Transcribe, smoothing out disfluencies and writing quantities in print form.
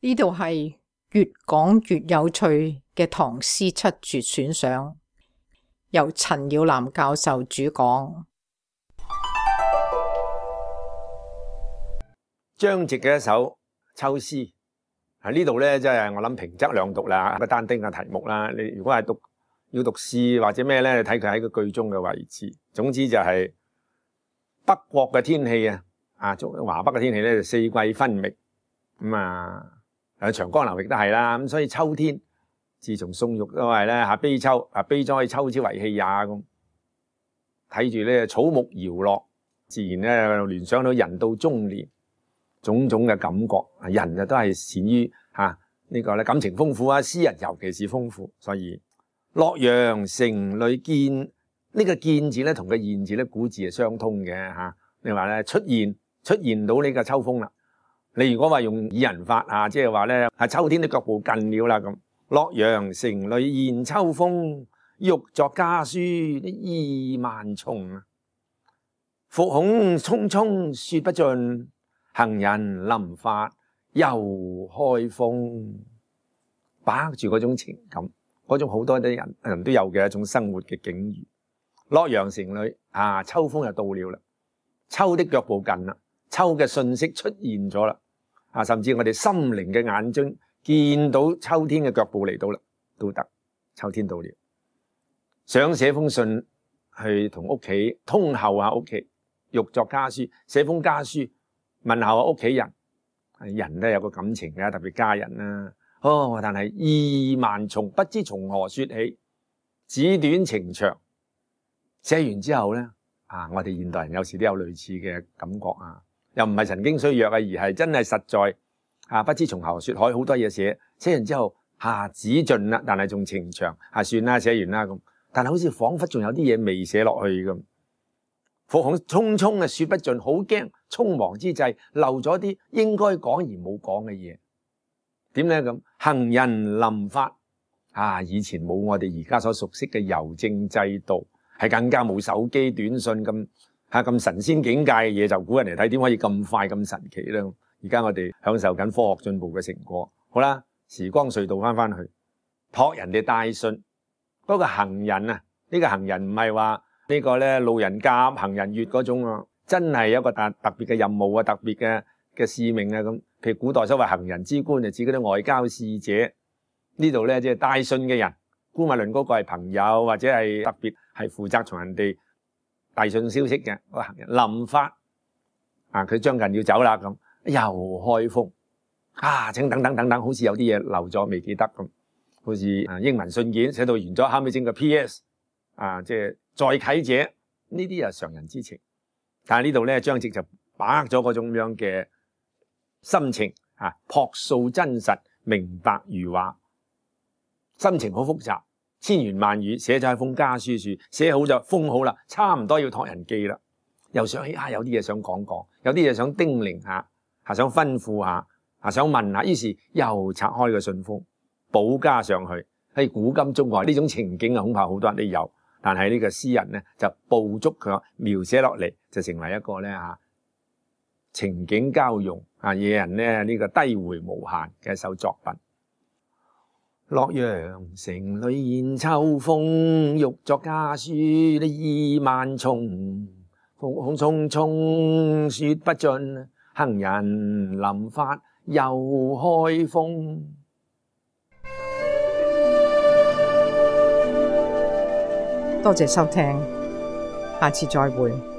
呢度係越講越有趣嘅唐詩七絕選賞，由陳耀南教授主講。張籍嘅一首秋詩，喺呢度咧，即係我諗平仄兩讀啦，個單丁嘅題目啦。你如果係要讀詩或者咩咧，你睇佢喺個句中嘅位置。總之就係北國嘅天氣啊，華北嘅天氣咧就四季分明咁啊。長江流域都係啦，咁所以秋天自從宋玉都係咧悲秋悲哉秋之為氣也咁，睇住咧草木搖落，自然咧聯想到人到中年種種嘅感覺。人都係善於呢個咧感情豐富啊，詩人尤其是豐富。所以洛陽城裏見呢個見字咧同個現字咧古字係相通嘅你話咧出現到呢個秋風啦。你如果話用擬人法即係話咧秋天的腳步近了啦咁。洛陽城裏現秋風，欲作家書意萬重。復恐匆匆說不盡，行人臨發又開封。把握住嗰種情感，嗰種好多啲人都有嘅一種生活嘅境遇。洛陽城裏秋風就到了啦，秋的腳步近啦，秋嘅訊息出現咗啦。甚至我哋心靈嘅眼睛見到秋天嘅腳步嚟到啦，都得。秋天到了，想寫封信去同屋企通候下屋企，欲作家書，寫封家書問候下屋企人。人都有個感情嘅，特別家人啦。但係意萬重，不知從何說起，紙短情長。寫完之後咧，我哋現代人有時都有類似嘅感覺又唔係神經衰弱而係真係實在不知從何說起，好多嘢寫完之後紙盡啦，但係仲情長算啦，寫完啦咁。但係好似彷彿仲有啲嘢未寫落去咁。復恐匆匆說不盡，好驚匆忙之際漏咗啲應該講而冇講嘅嘢。點咧咁？行人臨發以前冇我哋而家所熟悉嘅郵政制度，係更加冇手機短信咁神仙境界嘅嘢，就估人嚟睇點可以咁快咁神奇咧？而家我哋享受緊科學進步嘅成果。好啦，時光隧道翻去託人哋帶信，嗰個行人呢個行人唔係話呢個咧路人甲行人乙嗰種真係有一個特別嘅任務特別嘅使命咁。譬如古代所謂行人之官，就指嗰啲外交使者。呢度咧即係帶信嘅人，姑勿論嗰個係朋友或者係特別係負責從人哋遞信消息嘅個行人。臨發佢將近要走啦咁，又開封請等，好似有啲嘢漏咗未記得咁。好似英文信件寫到完咗，後尾整個 PS 即係再啟者，呢啲係常人之情。但係呢度咧張籍就把握咗嗰種咁樣嘅心情樸素真實，明白如話，心情好複雜，千言萬語寫咗喺封家書處，寫好就封好啦，差唔多要託人寄啦。又想起有啲嘢想講，有啲嘢想叮嚀下，想吩咐下，想問下，於是又拆開個信封，補加上去。喺古今中外呢種情景恐怕好多人都有，但係呢個詩人呢就捕捉佢描寫落嚟，就成為一個咧情景交融惹人呢個低回無限嘅一首作品。洛陽城裏現秋風，欲作家書意萬重。復恐匆匆說不盡，行人臨發又開封。多謝收聽，下次再會。